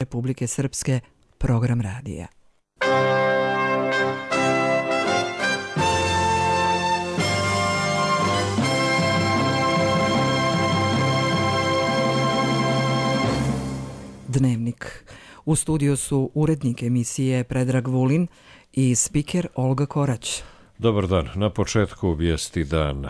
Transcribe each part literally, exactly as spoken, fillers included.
Republike Srpske, program radija. Dnevnik. U studiju su urednik emisije Predrag Vulin i spiker Olga Korać. Dobar dan. Na početku vijesti dana.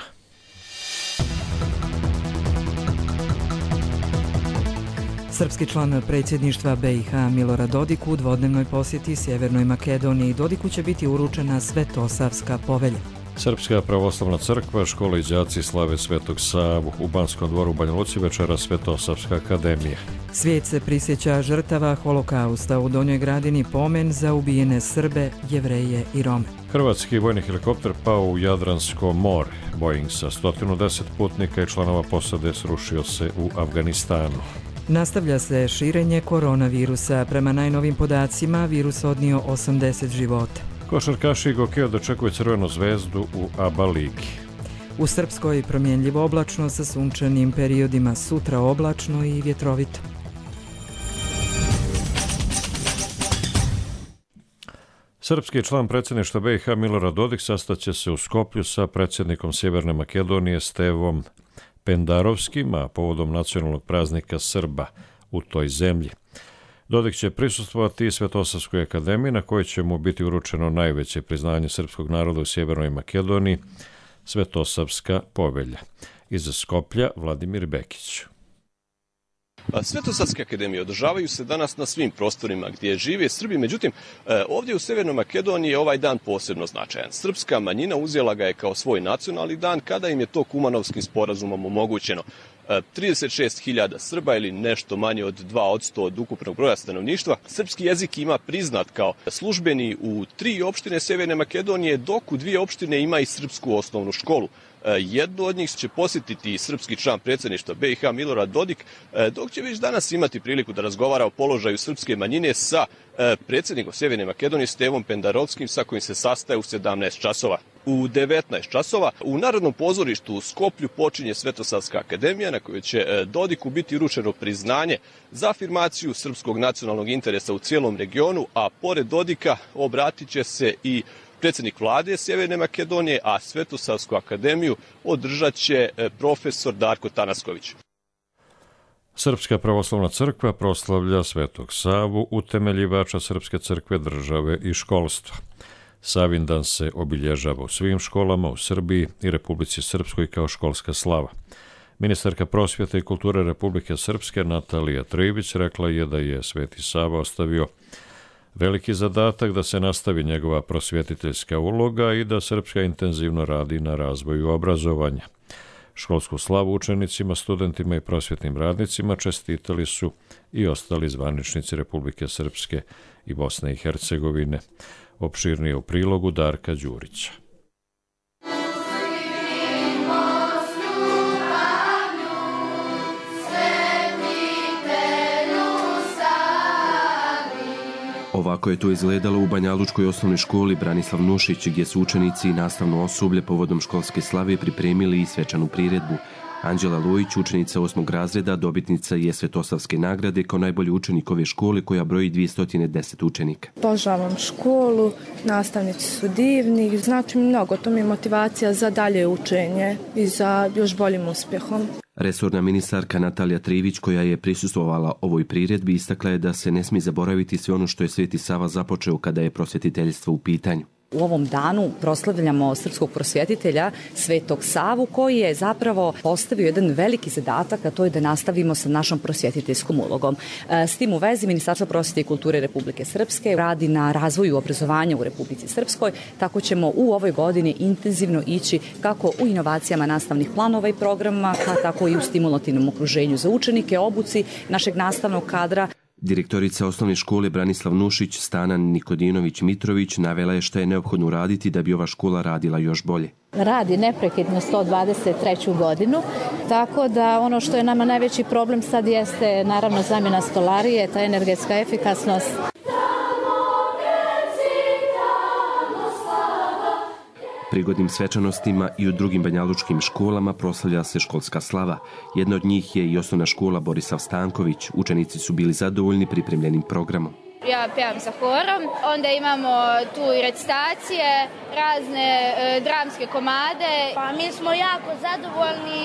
Srpski član predsjedništva B i H Milorad Dodik u dvodnevnoj posjeti Sjevernoj Makedoniji. Dodiku će biti uručena Svetosavska povelja. Srpska pravoslavna crkva, škola i đaci slave Svetog Savu. U Banskom dvoru u Banja Luci večera Svetosavska akademija. Svijet se prisjeća žrtava holokausta. U Donjoj Gradini pomen za ubijene Srbe, Jevreje i Rome. Hrvatski vojni helikopter pao u Jadransko more. Boeing sa sto deset putnika i članova posade srušio se u Afganistanu. Nastavlja se širenje koronavirusa. Prema najnovim podacima, virus odnio osamdeset života. Košarkaši Gokeja dočekuju Crvenu zvezdu u A B A ligi. U Srpskoj promjenljivo oblačno sa sunčanim periodima, sutra oblačno i vjetrovito. Srpski član predsjedništva B i H Milorad Dodik sastaće se u Skoplju sa predsjednikom Sjeverne Makedonije Stevom Pendarovskim, a povodom nacionalnog praznika Srba u toj zemlji. Dodik će prisustvovati i Svetosavskoj akademiji, na kojoj će mu biti uručeno najveće priznanje srpskog naroda u Sjevernoj Makedoniji, Svetosavska povelja. Iz Skoplja Vladimir Bekić. Svetosavske akademije održavaju se danas na svim prostorima gdje žive Srbi, međutim ovdje u Sjevernoj Makedoniji je ovaj dan posebno značajan. Srpska manjina uzela ga je kao svoj nacionalni dan kada im je to Kumanovskim sporazumom omogućeno. trideset šest hiljada Srba ili nešto manje od dva posto od ukupnog broja stanovništva. Srpski jezik ima priznat kao službeni u tri opštine Sjeverne Makedonije, dok u dvije opštine ima i srpsku osnovnu školu. Jednu od njih će posjetiti srpski član predsjedništva B i H Milorad Dodik, dok će već danas imati priliku da razgovara o položaju srpske manjine sa predsjednikom Sjeverne Makedonije Stevom Pendarovskim, sa kojim se sastaje u sedamnaest časova. U devetnaest časova u Narodnom pozorištu u Skoplju počinje Svetosavska akademija, na kojoj će Dodiku biti uručeno priznanje za afirmaciju srpskog nacionalnog interesa u cijelom regionu, a pored Dodika obratit će se i predsjednik vlade Sjeverne Makedonije, a Svetosavsku akademiju održat će profesor Darko Tanasković. Srpska pravoslavna crkva proslavlja Svetog Savu, utemeljivača Srpske crkve, države i školstva. Savindan se obilježava u svim školama u Srbiji i Republici Srpskoj kao školska slava. Ministarka prosvjete i kulture Republike Srpske Natalija Trivić rekla je da je Sveti Sava ostavio veliki zadatak da se nastavi njegova prosvjetiteljska uloga i da Srpska intenzivno radi na razvoju obrazovanja. Školsku slavu učenicima, studentima i prosvjetnim radnicima čestitali su i ostali zvaničnici Republike Srpske i Bosne i Hercegovine. Opširnije u prilogu Darka Đurića. Ovako je to izgledalo u Banjalučkoj osnovnoj školi Branislav Nušić, gdje su učenici i nastavno osoblje povodom školske slave pripremili i svečanu priredbu. Anđela Lujić, učenica osmog razreda, dobitnica je Svetosavske nagrade kao najbolji učenik ove škole koja broji dvjesto deset učenika. Obožavam školu, nastavnici su divni, znači mi mnogo, to mi je motivacija za dalje učenje i za još boljim uspjehom. Resorna ministarka Natalija Trivić, koja je prisustvovala ovoj priredbi, istakla je da se ne smije zaboraviti sve ono što je Sveti Sava započeo kada je prosvjetiteljstvo u pitanju. U ovom danu proslavljamo srpskog prosvjetitelja Svetog Savu, koji je zapravo postavio jedan veliki zadatak, a to je da nastavimo sa našom prosvjetiteljskom ulogom. S tim u vezi Ministarstvo prosvjete i kulture Republike Srpske radi na razvoju obrazovanja u Republici Srpskoj, tako ćemo u ovoj godini intenzivno ići kako u inovacijama nastavnih planova i programa, tako i u stimulativnom okruženju za učenike, obuci našeg nastavnog kadra. Direktorica osnovne škole Branislav Nušić, Stanan Nikodinović Mitrović, navela je šta je neophodno uraditi da bi ova škola radila još bolje. Radi neprekidno sto dvadeset treću godinu, tako da ono što je nama najveći problem sad jeste naravno zamjena stolarije, ta energetska efikasnost. Prigodnim svečanostima i u drugim banjalučkim školama proslavlja se školska slava. Jedna od njih je i osnovna škola Borisav Stanković. Učenici su bili zadovoljni pripremljenim programom. Ja pevam sa horom, onda imamo tu i recitacije, razne e, dramske komade. Pa mi smo jako zadovoljni,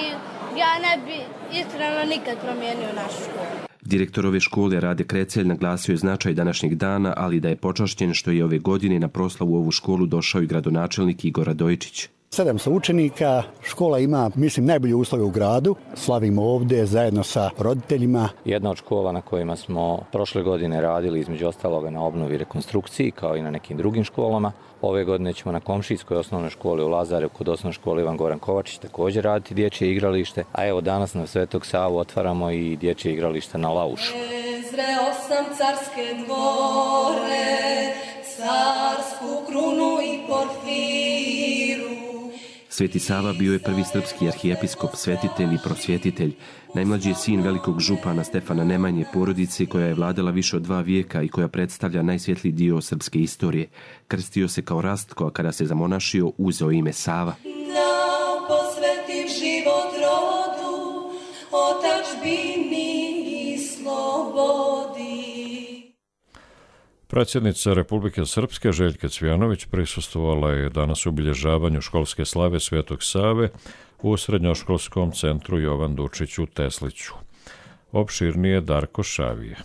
ja ne bi iskreno nikad promijenio našu školu. Direktor ove škole Rade Krecelj naglasio je značaj današnjeg dana, ali da je počašćen što je ove godine na proslavu u ovu školu došao i gradonačelnik Igor Radojičić. sedamsto učenika, škola ima, mislim, najbolje uslove u gradu. Slavimo ovdje zajedno sa roditeljima. Jedna od škola na kojima smo prošle godine radili, između ostaloga, na obnovi i rekonstrukciji, kao i na nekim drugim školama. Ove godine ćemo na komšijskoj osnovnoj školi u Lazarevu kod osnovne škole Ivan Goran Kovačić također raditi dječje igralište. A evo danas na Svetog Savu otvaramo i dječje igralište na Laušu. Zreo sam carske dvore, carsku krunu i porfiru. Sveti Sava bio je prvi srpski arhijepiskop, svetitelj i prosvjetitelj. Najmlađi je sin velikog župana Stefana Nemanje, porodice koja je vladala više od dva vijeka i koja predstavlja najsvjetliji dio srpske istorije. Krstio se kao Rastko, a kada se zamonašio, uzeo ime Sava. Da posvetim život rodu, otadžbini i slobodi. Predsjednica Republike Srpske Željka Cvijanović prisustvovala je danas obilježavanju školske slave Svetog Save u srednjoškolskom centru Jovan Dučić u Tesliću. Opširnije Darko Šavije.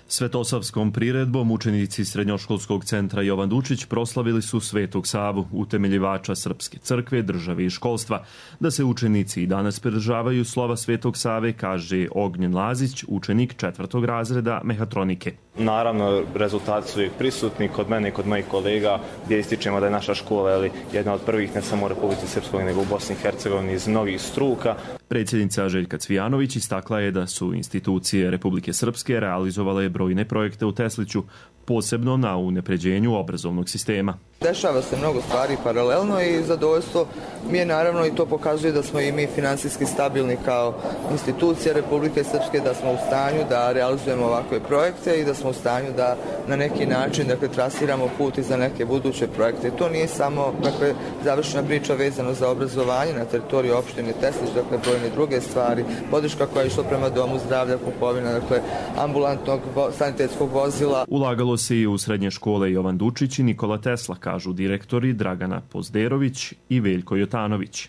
Svetosavskom priredbom učenici srednjoškolskog centra Jovan Dučić proslavili su Svetog Savu, utemeljivača Srpske crkve, države i školstva. Da se učenici i danas pridržavaju slova Svetog Save, kaže Ognjen Lazić, učenik četvrtog razreda mehatronike. Naravno, rezultati su uvijek prisutni kod mene i kod mojih kolega, gdje ističemo da je naša škola ali, jedna od prvih ne samo u Republici Srpskoj, nego u Bosni i Hercegovini iz mnogih struka. Predsjednica Željka Cvijanović istakla je da su institucije Republike Srpske realizovale brojne projekte u Tesliću, posebno na unapređenju obrazovnog sistema. Dešava se mnogo stvari paralelno i zadovoljstvo mi je naravno i to pokazuje da smo i mi finansijski stabilni kao institucija Republike Srpske, da smo u stanju da realizujemo ovakve projekte i da smo u stanju da na neki način dakle, trasiramo put i za neke buduće projekte. To nije samo dakle, završena priča vezano za obrazovanje na teritoriji opštine Teslić, dakle brojne druge stvari, podrška koja je išla prema domu zdravlja, kupovina dakle, ambulantnog sanitetskog vozila. Ulagalo se i u srednje škole Jovan Dučić i Nikola Tesla, kažu direktori Dragana Pozderović i Veljko Jotanović.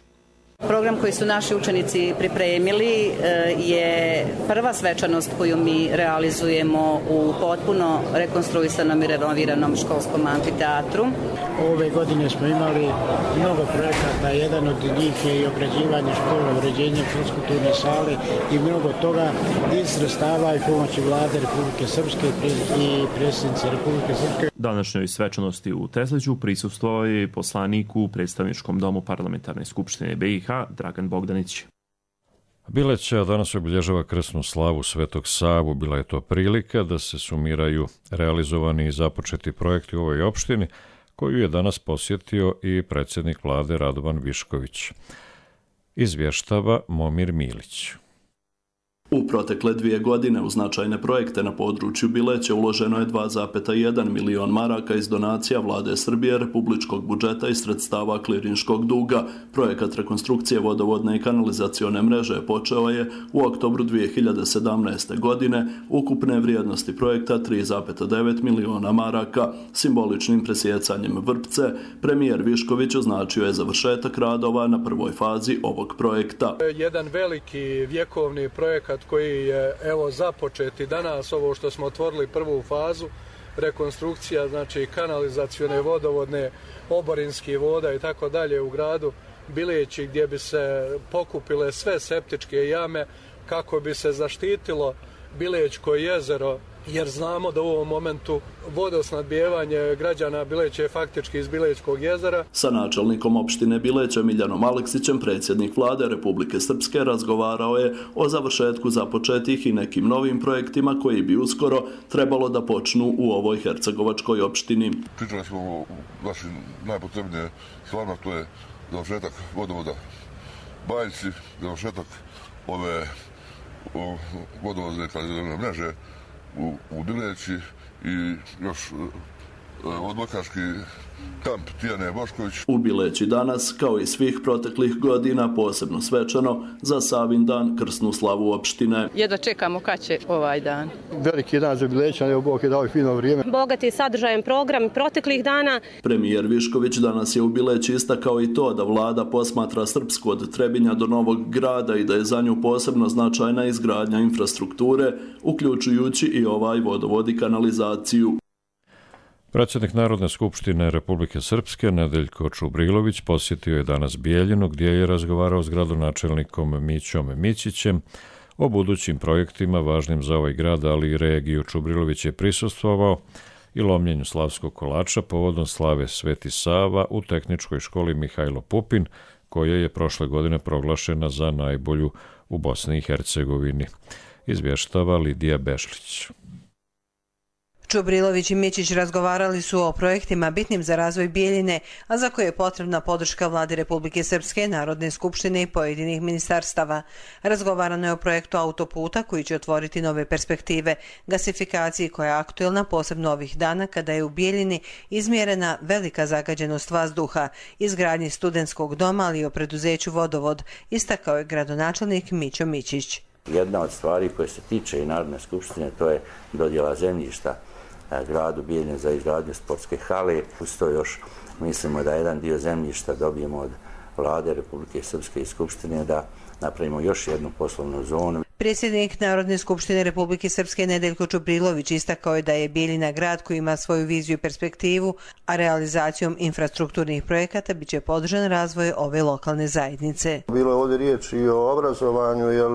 Program koji su naši učenici pripremili je prva svečanost koju mi realizujemo u potpuno rekonstruisanom i renoviranom školskom amfiteatru. Ove godine smo imali mnogo projekata, jedan od njih je i ograđivanje škola, uređenje fiskulturne sale i mnogo toga iz sredstava i pomoći vlade Republike Srpske i predsjednice Republike Srpske. Današnjoj svečanosti u Tesliću prisustvovao je poslanik u predstavničkom domu Parlamentarne skupštine B i H Dragan Bogdanić. Bileća danas obilježava krsnu slavu Svetog Savu. Bila je to prilika da se sumiraju realizovani i započeti projekti u ovoj opštini, koju je danas posjetio i predsjednik vlade Radovan Višković. Izvještava Momir Milić. U protekle dvije godine u značajne projekte na području Bileća uloženo je dva zarez jedan milion maraka iz donacija vlade Srbije, republičkog budžeta i sredstava klirinškog duga. Projekat rekonstrukcije vodovodne i kanalizacione mreže počeo je u oktobru dvije hiljade sedamnaeste. godine, ukupne vrijednosti projekta tri zarez devet miliona maraka. Simboličnim presjecanjem vrpce, premijer Višković označio je završetak radova na prvoj fazi ovog projekta. Jedan veliki vjekovni projekat koji je evo započeti danas, ovo što smo otvorili prvu fazu, rekonstrukcija znači kanalizacione, vodovodne, oborinski voda i tako dalje u gradu Bileći, gdje bi se pokupile sve septičke jame kako bi se zaštitilo Bilećko jezero, jer znamo da u ovom momentu vodosnadbijevanje građana Bileća je faktički iz Bilećkog jezera. Sa načelnikom opštine Bileća Miljanom Aleksićem predsjednik vlade Republike Srpske razgovarao je o završetku započetih i nekim novim projektima koji bi uskoro trebalo da počnu u ovoj hercegovačkoj opštini. Pričali smo o našim najpotrebnije stvarno, to je završetak vodovoda Bajci, završetak ove vodovodne kanalizacione mreže u, u Bileći i još odbojkaški kamp Tijane Bošković. U Bileći danas, kao i svih proteklih godina, posebno svečano za Savin dan krsnu slavu opštine. Jedva čekamo kad će ovaj dan. Veliki dan za Bilećane, evo Bog je dao fino vrijeme. Bogat je sadržajem program proteklih dana. Premijer Višković danas je u Bileći istakao i to da vlada posmatra Srpsku od Trebinja do Novog Grada i da je za nju posebno značajna izgradnja infrastrukture, uključujući i ovaj vodovod i kanalizaciju. Predsjednik Narodne skupštine Republike Srpske Nedeljko Čubrilović posjetio je danas Bijeljinu gdje je razgovarao s gradonačelnikom Mićom Mićićem o budućim projektima važnim za ovaj grad, ali i regiju. Čubrilović je prisustvovao i lomljenju slavskog kolača povodom slave Sveti Sava u tehničkoj školi Mihajlo Pupin, koja je prošle godine proglašena za najbolju u Bosni i Hercegovini. Izvještava Lidija Bešlić. Čubrilović i Mićić razgovarali su o projektima bitnim za razvoj Bijeljine, a za koje je potrebna podrška vlade Republike Srpske, Narodne skupštine i pojedinih ministarstava. Razgovarano je o projektu autoputa koji će otvoriti nove perspektive, gasifikaciji koja je aktuelna posebno ovih dana kada je u Bijeljini izmjerena velika zagađenost vazduha, izgradnji studentskog doma, ali i o preduzeću Vodovod, istakao je gradonačelnik Mićo Mićić. Jedna od stvari koje se tiče i Narodne skupštine, to je dodjela zemljišta gradu Bijeljine za izgradnju sportske hale. Uz to još mislimo da jedan dio zemljišta dobijemo od vlade Republike Srpske i Skupštine da napravimo još jednu poslovnu zonu. Predsjednik Narodne skupštine Republike Srpske Nedeljko Čubrilović istakao je da je Bijeljina grad koji ima svoju viziju i perspektivu, a realizacijom infrastrukturnih projekata bit će podržan razvoj ove lokalne zajednice. Bilo je ovdje riječ i o obrazovanju, jer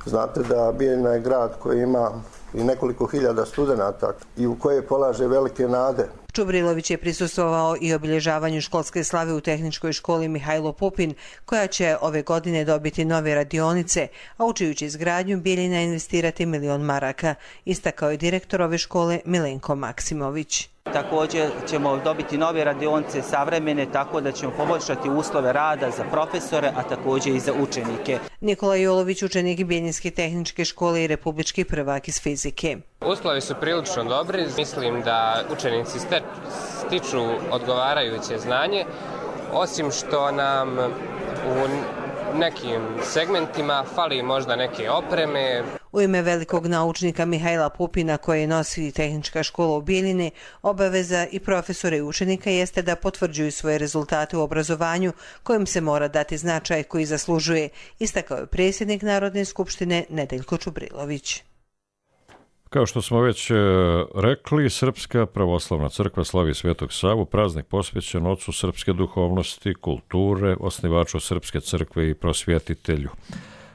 znate da Bijeljina je grad koji ima i nekoliko hiljada studenata i u koje polaže velike nade. Čubrilović je prisustvovao i obilježavanju školske slave u tehničkoj školi Mihajlo Pupin, koja će ove godine dobiti nove radionice, a u čiju će izgradnju Bijeljina investirati milion maraka, istakao je direktor ove škole Milenko Maksimović. Također ćemo dobiti nove radionice savremene, tako da ćemo poboljšati uslove rada za profesore, a također i za učenike. Nikola Jolović, učenik Bijeljinske tehničke škole i republički prvak iz fizike. Uslovi su prilično dobri. Mislim da učenici stiču odgovarajuće znanje, osim što nam u nekim segmentima fali možda neke opreme. U ime velikog naučnika Mihajla Pupina, koje nosi tehnička škola u Bijeljini, obaveza i profesora i učenika jeste da potvrđuju svoje rezultate u obrazovanju kojim se mora dati značaj koji zaslužuje, istakao je predsjednik Narodne skupštine Nedeljko Čubrilović. Kao što smo već rekli, Srpska pravoslavna crkva slavi Svetog Savu, praznik posvećen ocu srpske duhovnosti, kulture, osnivaču Srpske crkve i prosvjetitelju.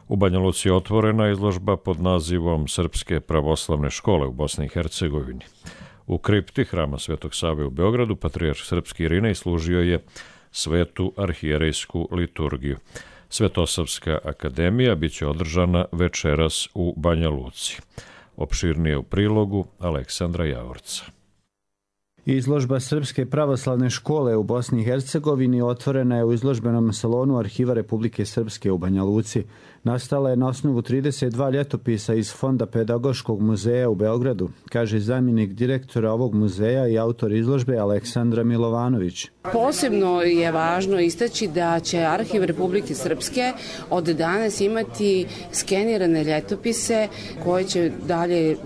U Banja Luci je otvorena izložba pod nazivom Srpske pravoslavne škole u Bosni i Hercegovini. U kripti hrama Svetog Save u Beogradu patrijarh srpski Irinej služio je svetu arhijerejsku liturgiju. Svetosavska akademija biće održana večeras u Banja Luci. Opširnije u prilogu Aleksandra Javorca. Izložba Srpske pravoslavne škole u Bosni i Hercegovini otvorena je u izložbenom salonu Arhiva Republike Srpske u Banja Luci. Nastala je na osnovu trideset dva ljetopisa iz Fonda Pedagoškog muzeja u Beogradu, kaže zamjenik direktora ovog muzeja i autor izložbe Aleksandra Milovanović. Posebno je važno istaći da će Arhiv Republike Srpske od danas imati skenirane ljetopise koje će dalje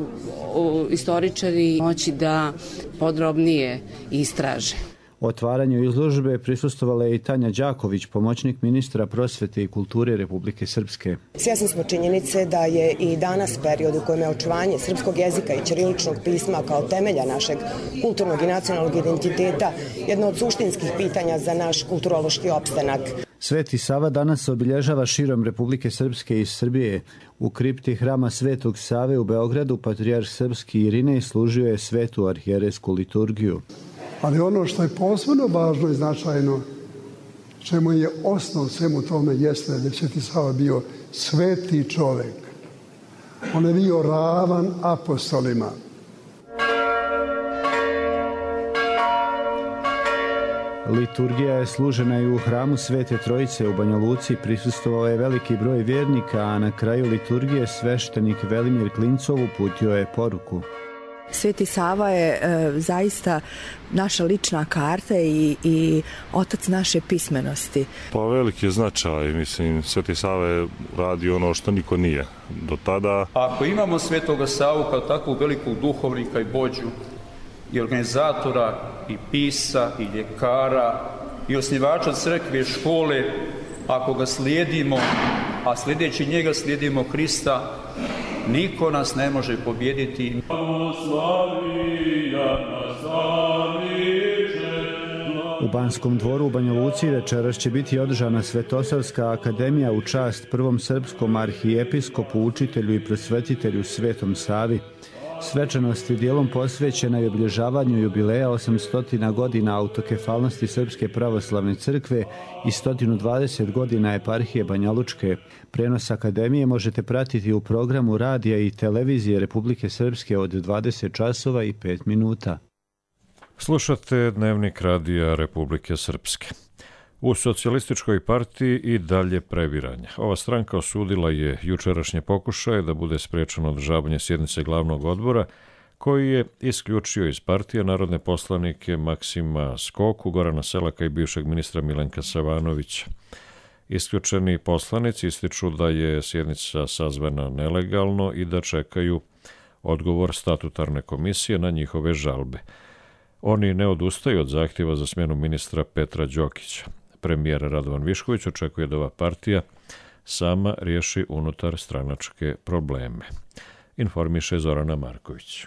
istoričari moći da podrobnije istraže. Otvaranju izložbe prisustvovala je i Tanja Đaković, pomoćnik ministra prosvete i kulture Republike Srpske. Svjesni smo činjenice da je i danas period u kojem je očuvanje srpskog jezika i ćiriličnog pisma kao temelja našeg kulturnog i nacionalnog identiteta jedno od suštinskih pitanja za naš kulturološki opstanak. Sveti Sava danas se obilježava širom Republike Srpske i Srbije. U kripti hrama Svetog Save u Beogradu patrijarh srpski Irinej služio je svetu arhijerejsku liturgiju. Ali ono što je posebno važno i značajno, čemu je osnov svemu tome, jeste da je Sveti Sava bio sveti čovjek. On je bio ravan apostolima. Liturgija je služena i u hramu Svete Trojice u Banja Luci. Prisustvovao je veliki broj vjernika, a na kraju liturgije sveštenik Velimir Klincov uputio je poruku. Sveti Sava je e, zaista naša lična karta i, i otac naše pismenosti. Pa veliki je značaj, mislim, Sveti Sava je radi ono što niko nije do tada. Ako imamo Svetoga Savu kao takvog velikog duhovnika i vođu i organizatora i pisa i ljekara i osnivača crkve i škole, ako ga slijedimo, a sljedeći njega slijedimo Krista, niko nas ne može pobijediti. U Banskom dvoru u Banja Luci večeras će biti održana Svetosavska akademija u čast prvom srpskom arhijepiskopu, učitelju i prosvetitelju Svetom Savi. Svečanost je dijelom posvećena i obilježavanju jubileja osamsto godina autokefalnosti Srpske pravoslavne crkve i sto dvadeset godina eparhije Banja Lučke. Prenos akademije možete pratiti u programu radija i televizije Republike Srpske od dvadeset časova i pet minuta. Slušate Dnevnik radija Republike Srpske. U socijalističkoj partiji i dalje previranja. Ova stranka osudila je jučerašnje pokušaje da bude sprečeno održavanje sjednice glavnog odbora, koji je isključio iz partije narodne poslanike Maksima Skoku, Gorana Selaka i bivšeg ministra Milenka Savanovića. Isključeni poslanici ističu da je sjednica sazvana nelegalno i da čekaju odgovor statutarne komisije na njihove žalbe. Oni ne odustaju od zahtjeva za smjenu ministra Petra Đokića. Premijer Radovan Višković očekuje da ova partija sama riješi unutar stranačke probleme. Informiše Zorana Marković.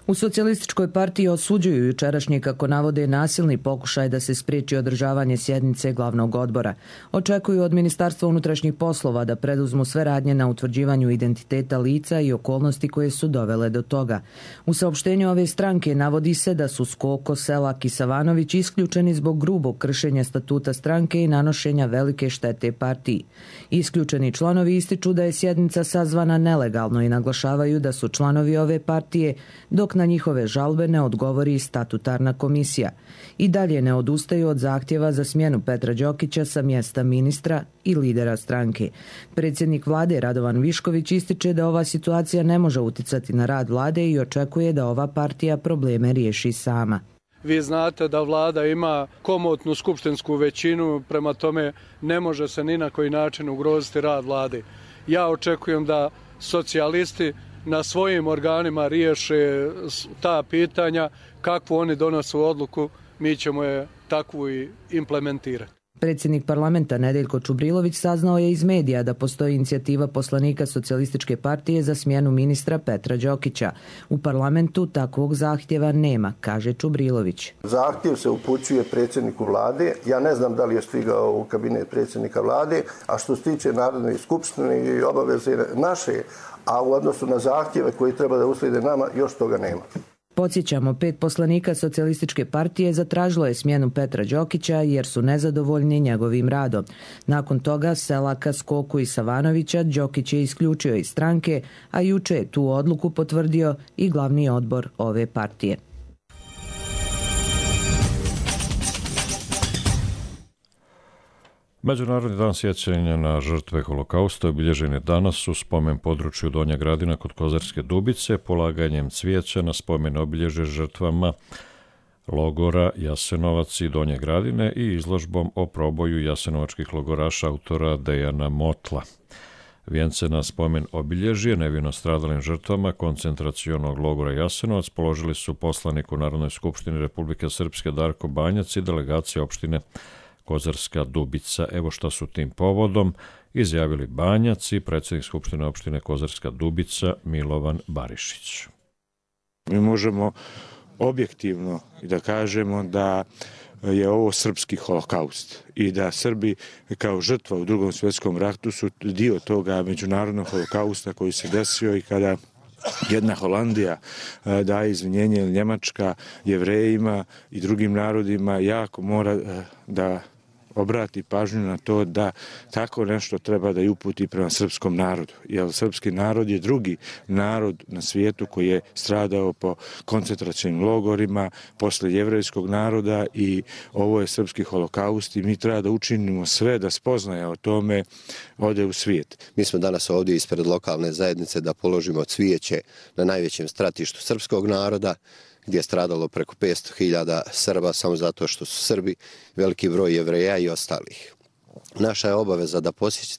U socijalističkoj partiji osuđuju jučerašnji, kako navode, nasilni pokušaj da se spriječi održavanje sjednice glavnog odbora. Očekuju od Ministarstva unutrašnjih poslova da preduzmu sve radnje na utvrđivanju identiteta lica i okolnosti koje su dovele do toga. U saopštenju ove stranke navodi se da su Skoko, Selak i Savanović isključeni zbog grubog kršenja statuta stranke i nanošenja velike štete partiji. Isključeni članovi ističu da je sjednica sazvana nelegalno i naglašavaju da su članovi ove partije, dok na njihove žalbe ne odgovori statutarna komisija. I dalje ne odustaju od zahtjeva za smjenu Petra Đokića sa mjesta ministra i lidera stranke. Predsjednik vlade Radovan Višković ističe da ova situacija ne može uticati na rad vlade i očekuje da ova partija probleme riješi sama. Vi znate da vlada ima komotnu skupštinsku većinu, prema tome ne može se ni na koji način ugroziti rad vlade. Ja očekujem da socijalisti na svojim organima riješe ta pitanja, kakvu oni donose odluku, mi ćemo je takvu i implementirati. Predsjednik parlamenta Nedeljko Čubrilović saznao je iz medija da postoji inicijativa poslanika Socijalističke partije za smjenu ministra Petra Đokića. U parlamentu takvog zahtjeva nema, kaže Čubrilović. Zahtjev se upućuje predsjedniku vlade. Ja ne znam da li je stigao u kabinet predsjednika vlade, a što se tiče Narodne skupštine i obaveze naše, a u odnosu na zahtjeve koji treba da uslijede nama, još toga nema. Podsjećamo, pet poslanika Socijalističke partije zatražilo je smjenu Petra Đokića jer su nezadovoljni njegovim radom. Nakon toga Selaka, Skoku i Savanovića Đokić je isključio iz stranke, a juče je tu odluku potvrdio i glavni odbor ove partije. Međunarodni dan sjećanja na žrtve holokausta obilježen je danas u spomen području Donja Gradina kod Kozarske Dubice, polaganjem cvijeća na spomen obilježje žrtvama logora Jasenovac i Donje Gradine i izložbom o proboju jasenovačkih logoraša autora Dejana Motla. Vijence na spomen obilježje nevino stradalim žrtvama koncentracionog logora Jasenovac položili su poslanik u Narodnoj skupštini Republike Srpske Darko Banjac i delegacija opštine Kozarska Dubica. Evo šta su tim povodom izjavili Banjac i predsjednik Skupštine opštine Kozarska Dubica Milovan Barišić. Mi možemo objektivno da kažemo da je ovo srpski holokaust i da Srbi kao žrtva u Drugom svjetskom ratu su dio toga međunarodnog holokausta koji se desio i kada jedna Holandija daje izvinjenje ili Njemačka Jevrejima i drugim narodima, jako mora da obrati pažnju na to da tako nešto treba da i uputi prema srpskom narodu. Jer srpski narod je drugi narod na svijetu koji je stradao po koncentracionim logorima posle jevrejskog naroda i ovo je srpski holokaust i mi treba da učinimo sve da spoznaja o tome ode u svijet. Mi smo danas ovdje ispred lokalne zajednice da položimo cvijeće na najvećem stratištu srpskog naroda, gdje je stradalo preko petsto hiljada Srba samo zato što su Srbi, veliki broj Jevreja i ostalih. Naša je obaveza da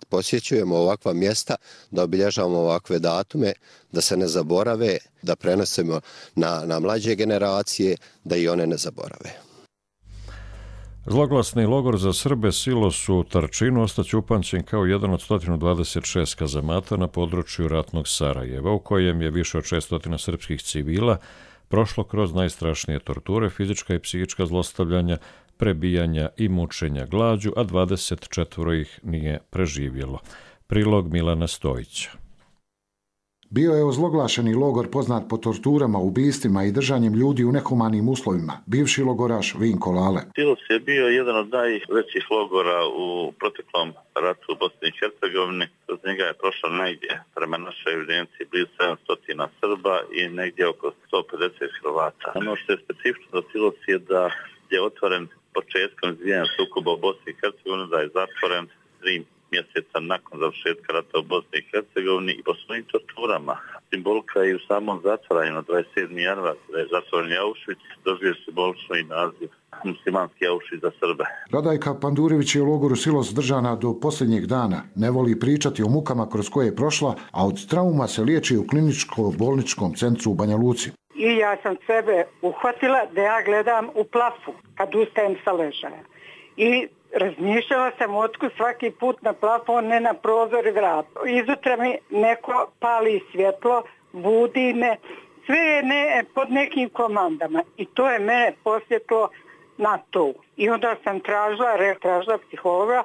posjećujemo ovakva mjesta, da obilježavamo ovakve datume, da se ne zaborave, da prenosimo na, na mlađe generacije, da i one ne zaborave. Zloglasni logor za Srbe Silos u Tarčinu ostaće upamćen kao jedan od sto dvadeset šest kazamata na području ratnog Sarajeva, u kojem je više od šesto srpskih civila prošlo kroz najstrašnije torture, fizička i psihička zlostavljanja, prebijanja i mučenja glađu, a dvadeset četvoro ih nije preživjelo. Prilog Milana Stojića. Bio je ozloglašeni logor poznat po torturama, ubistvima i držanjem ljudi u nehumanim uslovima. Bivši logoraš Vinko Lale. Silos je bio jedan od najvećih logora u proteklom ratu u Bosni i Hercegovini. Kroz njega je prošlo negdje, prema našoj evidenciji, blizu sedamsto Srba i negdje oko sto pedeset Hrvata. Ono što je specifično za Silos je da je otvoren početkom izbijanja sukoba u Bosni i Hercegovini, da je zatvoren tri mjeseca nakon završetka rata u Bosni i Hercegovini i po svojim torturama. Simbolika je u samom zatvaranju na dvadeset sedmi januar, da je zatvoren Auschwitz, dobio simbolično i naziv muslimanski Auschwitz za Srbe. Radajka Pandurević je u logoru Silos držana do posljednjeg dana. Ne voli pričati o mukama kroz koje je prošla, a od trauma se liječi u kliničko-bolničkom centru u Banja Luci. I ja sam sebe uhvatila da ja gledam u plafu kad ustajem sa ležaja. I razmišljala sam otkud svaki put na plafon, ne na prozor i vrat. Izutra mi neko pali svjetlo, budi me, sve je ne, pod nekim komandama i to je mene posjetlo na to. I onda sam tražila, tražila psihologa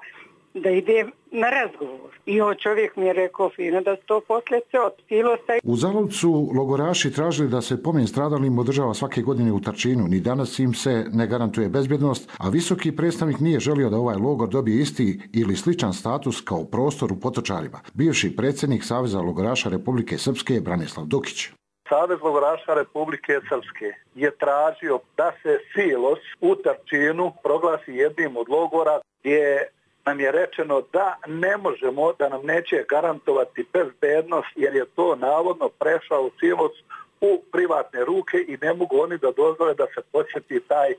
da idem na razgovor. I on čovjek mi je rekao fino da sto posljedice od Silosa. U Zalovcu logoraši tražili da se pomen stradalim održava svake godine u Tarčinu. Ni danas im se ne garantuje bezbjednost, a visoki predstavnik nije želio da ovaj logor dobije isti ili sličan status kao prostor u Potočarima. Bivši predsjednik Saveza logoraša Republike Srpske Branislav Dukić. Savez logoraša Republike Srpske je tražio da se Silos u Tarčinu proglasi jednim od logora gdje nam je rečeno da ne možemo, da nam neće garantovati bezbednost jer je to navodno prešao Silos u privatne ruke i ne mogu oni da dozvole da se posjeti taj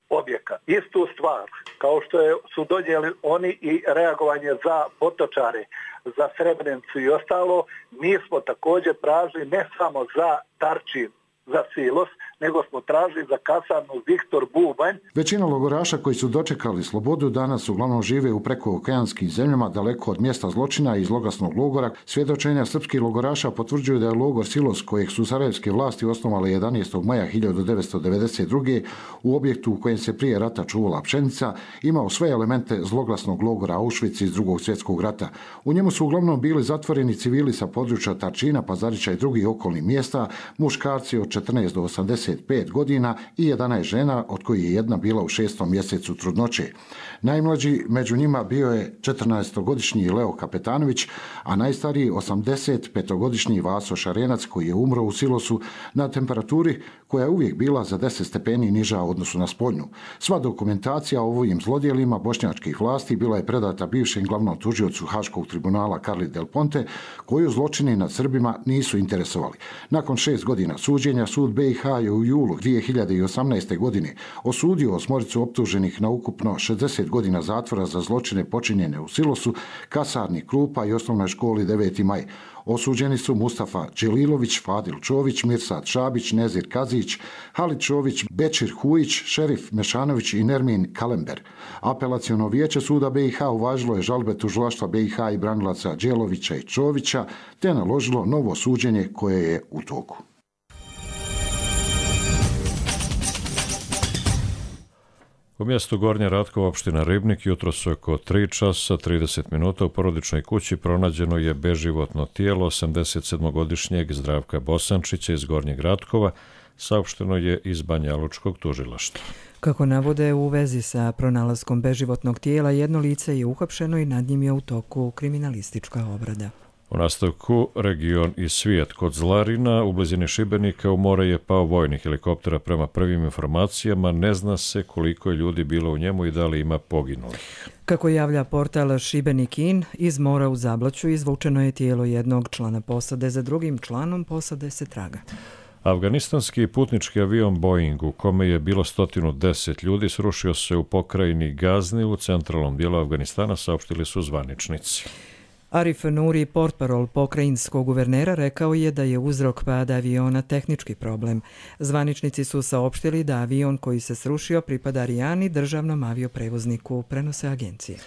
objekat. Istu stvar, kao što je, su donijeli oni i reagovanje za Potočare, za Srebrenicu i ostalo, mi smo također tražili ne samo za Tarčin, za Silos, nego smo tražili za kasarnu Viktor Bubanj. Većina logoraša koji su dočekali slobodu danas uglavnom žive u prekookeanskim zemljama daleko od mjesta zločina i zloglasnog logora. Svjedočenja srpskih logoraša potvrđuju da je logor Silos, kojeg su sarajevske vlasti osnovale jedanaestog maja hiljadu devetsto devedeset druge u objektu u kojem se prije rata čuvala pšenica, imao sve elemente zloglasnog logora Auschwitz iz drugog svjetskog rata. U njemu su uglavnom bili zatvoreni civili sa područja Tarčina, Pazarića i drugih okolnih mjesta, muškarci od četrnaest do osamdeset pet godina i jedanaest žena, od kojih je jedna bila u šestom mjesecu trudnoće. Najmlađi među njima bio je četrnaestogodišnji Leo Kapetanović, a najstariji osamdesetpetogodišnji Vaso Šarenac, koji je umro u Silosu na temperaturi koja je uvijek bila za deset stepeni niža u odnosu na spoljnu. Sva dokumentacija o ovim zlodjelima bošnjačkih vlasti bila je predata bivšem glavnom tužiocu Haškog tribunala Carli Del Ponte, koju zločini nad Srbima nisu interesovali. Nakon šest godina suđenja, sud B i H je u julu dvije hiljade osamnaeste. godine osudio osmoricu optuženih na ukupno šezdeset godina zatvora za zločine počinjene u Silosu, kasarni Krupa i osnovnoj školi deveti maj. Osuđeni su Mustafa Đelilović, Fadil Čović, Mirsad Šabić, Nezir Kazić, Halit Čović, Bečir Hujić, Šerif Mešanović i Nermin Kalember. Apelaciono vijeće suda B i H uvažilo je žalbe tužilaštva B i H i branilaca Đelovića i Čovića, te naložilo novo suđenje koje je u toku. U mjestu Gornje Ratkova, opština Ribnik, jutros oko tri časa trideset minuta u porodičnoj kući pronađeno je beživotno tijelo osamdesetsedmogodišnjeg Zdravka Bosančića iz Gornjeg Ratkova, saopšteno je iz Banjalučkog tužilaštva. Kako navode u vezi sa pronalaskom beživotnog tijela, jedno lice je uhapšeno i nad njim je u toku kriminalistička obrada. U nastavku region i svijet. Kod Zlarina u blizini Šibenika u more je pao vojni helikoptera. Prema prvim informacijama ne zna se koliko je ljudi bilo u njemu i da li ima poginulih. Kako javlja portal Šibenik In, iz mora u Zablaću izvučeno je tijelo jednog člana posade, za drugim članom posade se traga. Afganistanski putnički avion Boeing u kome je bilo sto deset ljudi srušio se u pokrajini Gazni u centralnom dijelu Afganistana, saopštili su zvaničnici. Arif Nuri, portparol pokrajinskog guvernera, rekao je da je uzrok pada aviona tehnički problem. Zvaničnici su saopštili da avion koji se srušio pripada Arijani, državnom avioprevozniku, prenose agencije.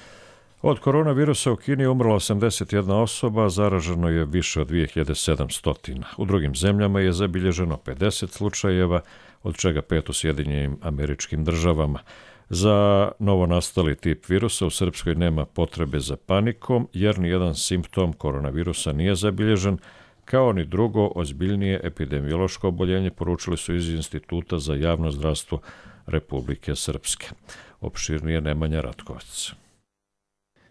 Od koronavirusa u Kini je umrla osamdeset jedna osoba, zaraženo je više od dvije hiljade sedamsto. U drugim zemljama je zabilježeno pedeset slučajeva, od čega pet u Sjedinjenim Američkim Državama. Za novonastali tip virusa u Srpskoj nema potrebe za panikom, jer nijedan simptom koronavirusa nije zabilježen, kao ni drugo ozbiljnije epidemiološko oboljenje, poručili su iz Instituta za javno zdravstvo Republike Srpske. Opširnije Nemanja Ratkovac.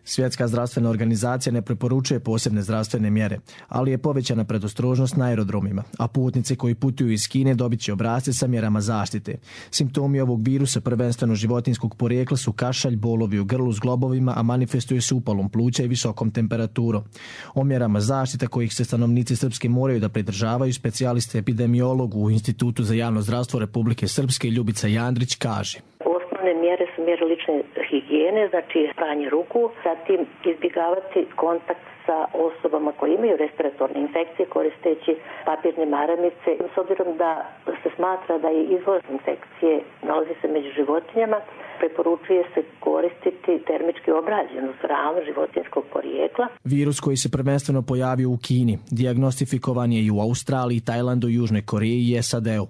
Svjetska zdravstvena organizacija ne preporučuje posebne zdravstvene mjere, ali je povećana predostrožnost na aerodromima, a putnici koji putuju iz Kine dobit će obrasce sa mjerama zaštite. Simptomi ovog virusa, prvenstveno životinjskog porijekla, su kašalj, bolovi u grlu s globovima, a manifestuje se upalom pluća i visokom temperaturom. O mjerama zaštite kojih se stanovnici Srpske moraju da pridržavaju, specijaliste epidemiolog u Institutu za javno zdravstvo Republike Srpske Ljubica Jandrić kaže: mjere su mjere lične higijene, znači pranje ruku, zatim izbjegavati kontakt sa osobama koje imaju respiratorne infekcije koristeći papirne maramice. S obzirom da se smatra da je izvor infekcije nalazi se među životinjama, preporučuje se koristiti termički obrađenu hranu životinjskog porijekla. Virus koji se prvenstveno pojavio u Kini, dijagnostifikovan je i u Australiji, Tajlandu, Južnoj Koreji i S A D-u.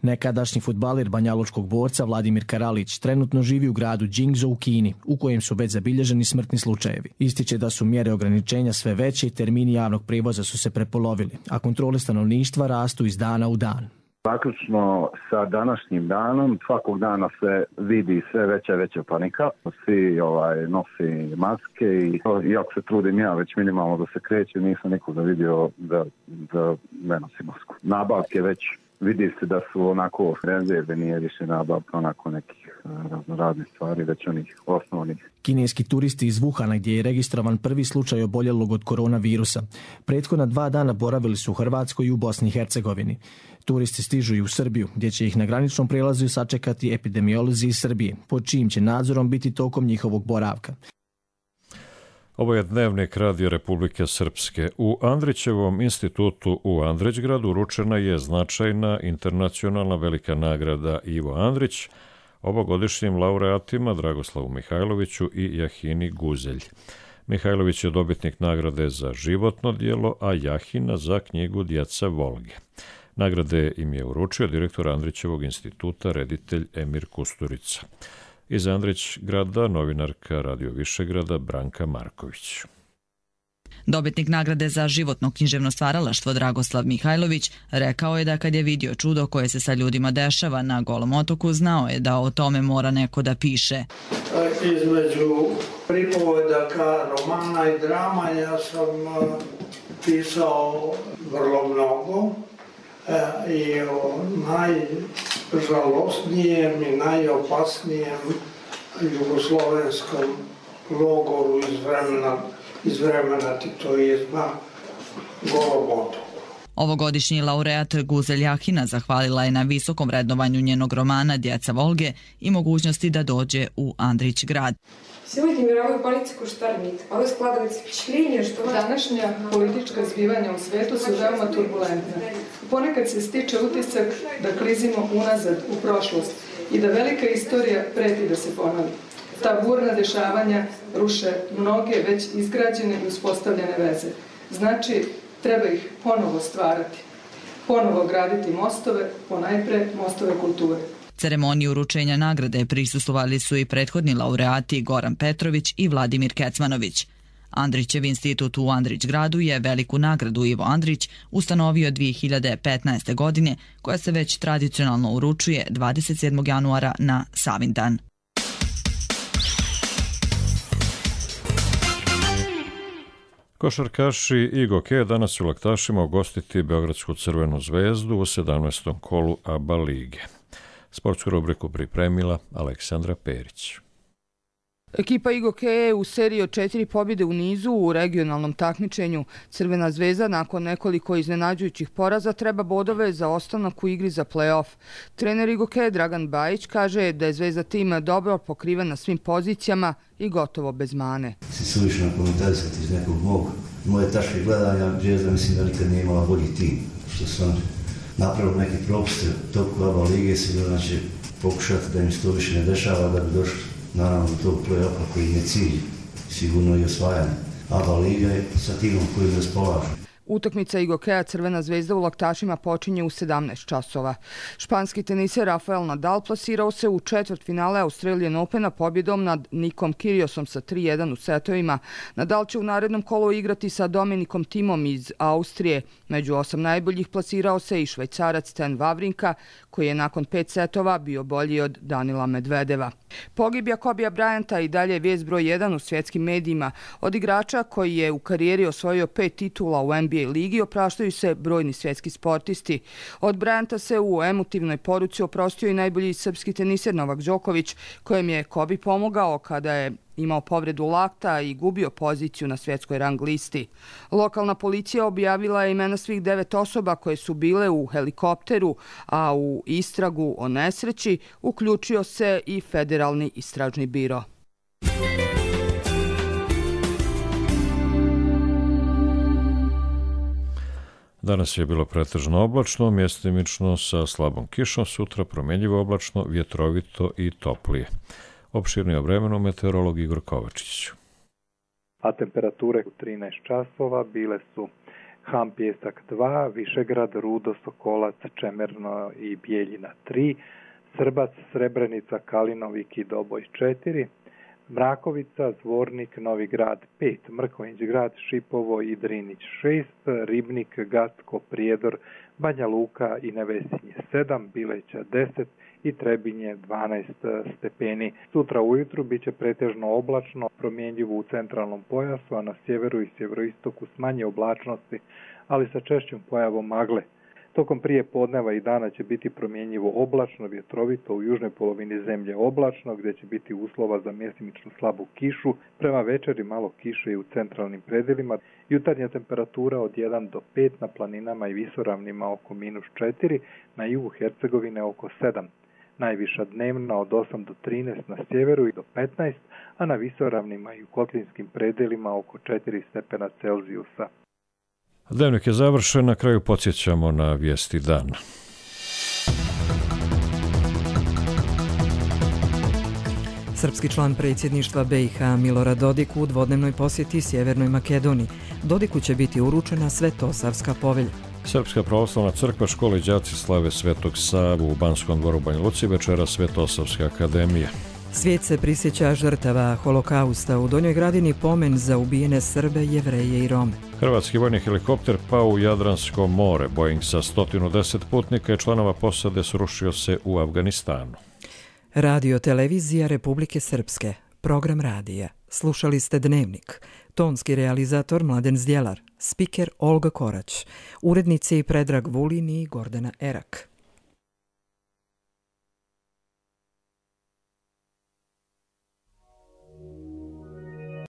Nekadašnji fudbaler banjalučkog borca Vladimir Karalić trenutno živi u gradu Jingzhou u Kini, u kojem su već zabilježeni smrtni slučajevi. Ističe da su mjere ograničenja sve veće i termini javnog prijevoza su se prepolovili, a kontrole stanovništva rastu iz dana u dan. Zaključno sa današnjim danom, svakog dana se vidi sve veća i veća panika. Svi ovaj, nosi maske i iako se trudim ja već minimalno da se kreće, nisam nikoga vidio da, da ne nosi masku. Nabavke već vidi se da su onako rezerve, nije više nabavka onako nekih raznih stvari, već onih osnovnih. Kineski turisti iz Wuhana, gdje je registrovan prvi slučaj oboljelog od koronavirusa, prethodna dva dana boravili su u Hrvatskoj i u Bosni i Hercegovini. Turisti stižu i u Srbiju, gdje će ih na graničnom prijelazu sačekati epidemiolozi iz Srbije, pod čijim će nadzorom biti tokom njihovog boravka. Ovo je Dnevnik Radio Republike Srpske. U Andrićevom institutu u Andrićgradu uručena je značajna internacionalna velika nagrada Ivo Andrić ovogodišnjim laureatima Dragoslavu Mihajloviću i Jahini Guzelj. Mihajlović je dobitnik nagrade za životno djelo, a Jahina za knjigu Djeca Volge. Nagrade im je uručio direktor Andrićevog instituta, reditelj Emir Kusturica. Iz Andrićgrada novinarka Radio Višegrada Branka Marković. Dobitnik nagrade za životno književno stvaralaštvo Dragoslav Mihajlović rekao je da kad je vidio čudo koje se sa ljudima dešava na Golom otoku, znao je da o tome mora neko da piše. Između pripovedaka, romana i drama ja sam pisao vrlo mnogo i o najžalostnijem i najopasnijem jugoslovenskom logoru iz vremena iz vremena titoizma Golom otoku. Ovogodišnji laureat Guzelj Jahina zahvalila je na visokom vrednovanju njenog romana Djeca Volge i mogućnosti da dođe u Andrićgrad. Сегодня мировой политику штормит, а вы складываете впечатление, что današnja politička zbivanja u svetu su veoma turbulentna. Ponekad se stiče utisak da klizimo unazad u prošlost i da velika istorija preti da se ponovi. Ta burna dešavanja ruše mnoge već izgrađene i uspostavljene veze. Znači, treba ih ponovo stvarati, ponovo graditi mostove, ponajpre mostove kulture. Ceremoniji uručenja nagrade prisustvovali su i prethodni laureati Goran Petrović i Vladimir Kecmanović. Andrićev institut u Andrićgradu je veliku nagradu Ivo Andrić ustanovio dvije hiljade petnaeste. godine, koja se već tradicionalno uručuje dvadeset sedmog januara na Savindan. Košarkaši i Goke danas će u Laktašima ugostiti Beogradsku Crvenu zvezdu u sedamnaestom kolu A B A lige. Sportsku rubriku pripremila Aleksandra Perić. Ekipa Igoke je u seriji od četiri pobjede u nizu u regionalnom takmičenju. Crvena zvezda nakon nekoliko iznenađujućih poraza treba bodove za ostanak u igri za play-off. Trener Igoke Dragan Bajić kaže da je Zvezda tim dobro pokriven na svim pozicijama i gotovo bez mane. Si suvišno komentarisati iz nekog mog, moje taške gledanja, Zvezda mislim da nikad nije imala bolji tim. Što su oni napravili neke propuste toku A B A lige, sigurno će pokušati da im se to više ne dešava, da bi došli naravno do tog play-offa koji je cilj, sigurno i osvajanje A B A lige sa timom koji raspolažu. Utakmica Igokea Crvena zvezda u Laktašima počinje u sedamnaest časova. Španski teniser Rafael Nadal plasirao se u četvrtfinale Australian Opena pobjedom nad Nikom Kyriosom sa tri jedan u setovima. Nadal će u narednom kolu igrati sa Dominikom Thimom iz Austrije. Među osam najboljih plasirao se i Švajcarac Stan Wawrinka, koji je nakon pet setova bio bolji od Danila Medvedeva. Pogibija Kobija Bryanta i dalje vijest broj jedan u svjetskim medijima. Od igrača koji je u karijeri osvojio pet titula u N B A ligi opraštaju se brojni svjetski sportisti. Od Bryanta se u emotivnoj poruci oprostio i najbolji srpski teniser Novak Đoković, kojem je Kobi pomogao kada je imao povredu lakta i gubio poziciju na svjetskoj rang listi. Lokalna policija objavila je imena svih devet osoba koje su bile u helikopteru, a u istragu o nesreći uključio se i Federalni istražni biro. Danas je bilo pretežno oblačno, mjestimično sa slabom kišom, sutra promjenjivo oblačno, vjetrovito i toplije. Opširnije o vremenu meteorolog Igor Kovačić. A temperature u trinaest časova bile su Ham Pjesak dva, Višegrad, Rudo, Sokolac, Čemerno i Bijeljina tri, Srbac, Srebrenica, Kalinovik i Doboj četiri, Mrakovica, Zvornik, Novi Grad pet, Mrkonjić Grad, Šipovo i Drinić šest, Ribnik, Gacko, Prijedor, Banja Luka i Nevesinje sedam, Bileća deset i Trebinje dvanaest stepeni. Sutra ujutru biće pretežno oblačno, promjenjivo u centralnom pojasu, a na sjeveru i sjeveroistoku s manje oblačnosti, ali sa češćom pojavom magle. Tokom prije podneva i dana će biti promjenjivo oblačno, vjetrovito, u južnoj polovini zemlje oblačno, gdje će biti uslova za mjestimično slabu kišu, prema večeri malo kiše i u centralnim predjelima, jutarnja temperatura od jedan do pet na planinama i visoravnima oko minus četiri, na jugu Hercegovine oko sedam. Najviša dnevna od osam do trinaest na sjeveru i do petnaest, a na visoravnima i u kotlinskim predjelima oko četiri stepena Celzijusa. Dnevnik je završen, na kraju podsjećamo na vijesti dana. Srpski član predsjedništva B i H Milorad Dodik u dvodnevnoj posjeti Sjevernoj Makedoniji. Dodiku će biti uručena Svetosavska povelja. Srpska pravoslavna crkva, škole i đaci slave Svetog Savu u Banskom dvoru Banja Luci, večera Svetosavska akademija. Svijet se prisjeća žrtava holokausta, u Donjoj Gradini pomen za ubijene Srbe, Jevreje i Rome. Hrvatski vojni helikopter pao u Jadransko more. Boeing sa sto deset putnika i članova posade srušio se u Afganistanu. Radio televizija Republike Srpske. Program radija. Slušali ste Dnevnik. Tonski realizator Mladen Zdjelar. Spiker Olga Korać. Urednici Predrag Vulin i Gordana Erak.